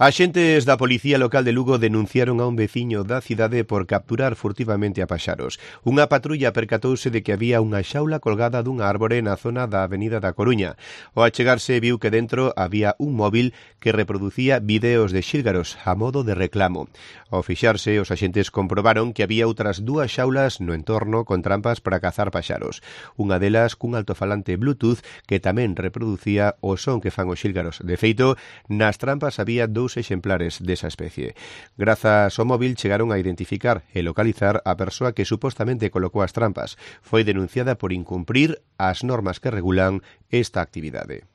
Axentes da Policía Local de Lugo denunciaron a un veciño da cidade por capturar furtivamente a paxaros. Unha patrulla percatouse de que había unha xaula colgada dunha árbore na zona da Avenida da Coruña. Ao achegarse viu que dentro había un móvil que reproducía videos de xílgaros a modo de reclamo. Ao fixarse, os axentes comprobaron que había outras dúas xaulas no entorno con trampas para cazar paxaros. Unha delas cun altofalante Bluetooth que tamén reproducía o son que fan os xílgaros. De feito, nas trampas había dous exemplares desa especie. Grazas ao móvil chegaron a identificar e localizar a persoa que supostamente colocou as trampas. Foi denunciada por incumprir as normas que regulan esta actividade.